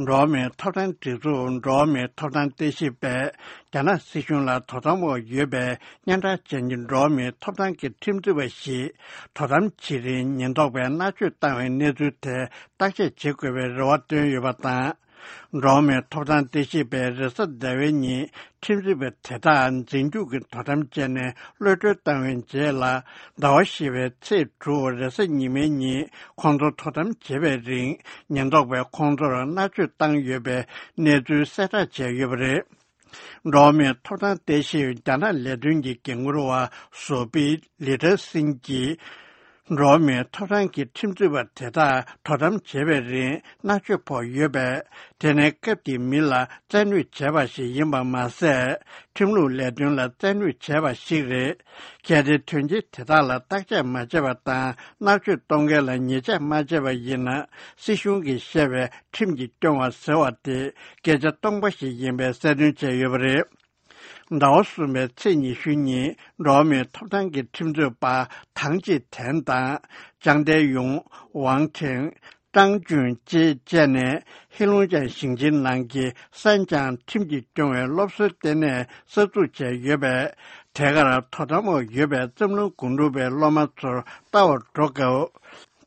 로메 토단 지주 로메 토단 대시배 자나 시슌라 토단모 예배 냥다 전진 로메 토단기 팀즈베시 토단 지린 년도배 나주 땅에 내주대 딱지 제거배 로왔던 요바다 로메 토단 대시배 레서 대회니 팀즈베 대단 진주그 토단전에 로저 땅에 제라 나와시베 제주레서 니메니 콘도 토단 제베링 년도배 콘도를 나주 땅 예배 내주 세다 제예버레 로메 토단 대시 자나 레든지 경우로와 소비 리더싱기 로메 토단기 팀즈바 대다 토담 제베리 나주포 예배 데네급디 밀라 전위 제바시 임바마세 팀루 레든라 전위 제바시레 게데 튼지 대다라 딱제 맞제바다 나주 동계라 니제 맞제바 이나 시슌기 셰베 팀지 동와 서와데 게제 동바시 임베 세든 제예버레 나오스메 체니슈니 로메 토단기 팀즈바 당지 텐다 장대용 왕탱张俊基建黑龙江新津南기산장 팀지 중에 롭스 때문에 서주제 예배 대가라 토다모 예배 점로 군루배 로마서 따워 drogo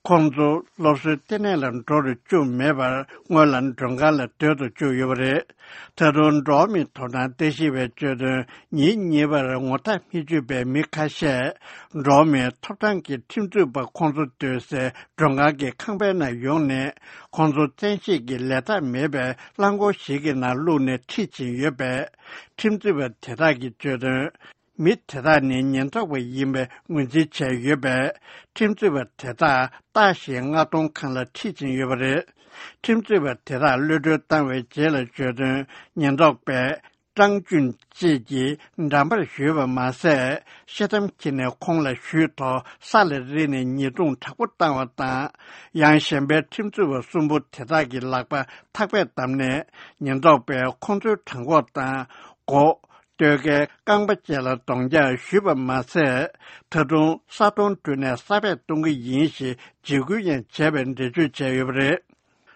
공주 롭스 때문에는 도를 좀 매발 원란 정갈을 되도 주 예배에 더론 로미 토나 대시베 저도 니 예배를 못하 피주배 미카셰 로미 토단기 팀주바 공주 되세 정가게 강배나 용내 공주 전시기 레다 매배 랑고시기나 루네 티치 예배 팀주바 대다기 저도 밑에다니 년도의 임에 문제체 예배 팀주바 대다 다시 아동 칸라 티진 예배에 팀주바 대다 르르 단위 제를 저도 년도배张俊基남발学文 마세 시담키네 콩라 슈토 살레리네 니동 타고 땅왔다 양신배 팀주버 순부 대다기 락바 탁배 담네 년도배 콩주 탕고다 고 되게 강바제라 동자 슈번 마세特종 사동 tun에 사배 동의 인시 지구인 재변대주 제유브레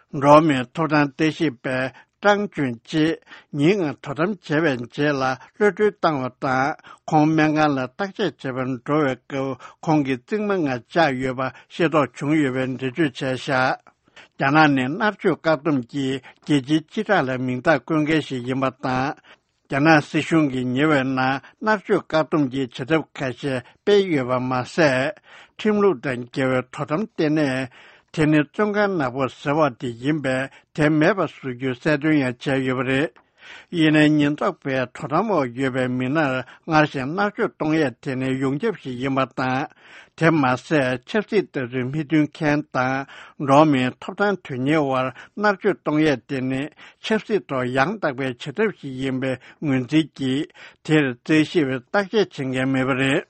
로메 토단 대시배张俊基宁토담 재변제라 르르 땅왔다 공명간라 딱제 재변 조회고 공기 증명가 자유바 시도 중유변대주 제샤 자나네 납주 가dum기 계지 지라라 민다 공개시 임봤다 자나 시슌기 예외나 납주 가dum기 제접까지 배유바 마세 팀루던 계획 토담 때문에 테네 중간 나보 서와디 임베 대매바 수주 세dun야 제유브레 이내 년도배 토담모 예배 미나 나신 나주 동에 테네 용접시 임았다 대마세 첼시드 미든 캔다 로미 토단 튀니와 나주 동에 테네 첼시도 양답배 제접시 임베 문지기 대 제시베 딱제 증개매버레